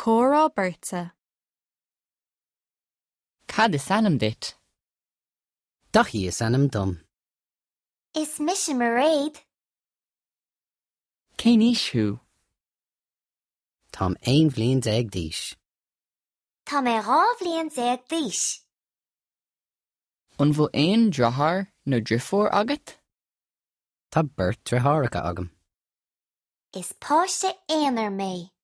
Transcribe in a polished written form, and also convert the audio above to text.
Comhrá beirte. Cad is ainm duit? Daithí is ainm dom. Is mise Mairéad. Cén aois thú? Táim 11 bhliain d'aois. Tá mé 12 bhliain d'aois. An bhfuil aon deartháir nó deirfiúr agat? Tá beirt deartháireacha agam. Is páiste aonair mé.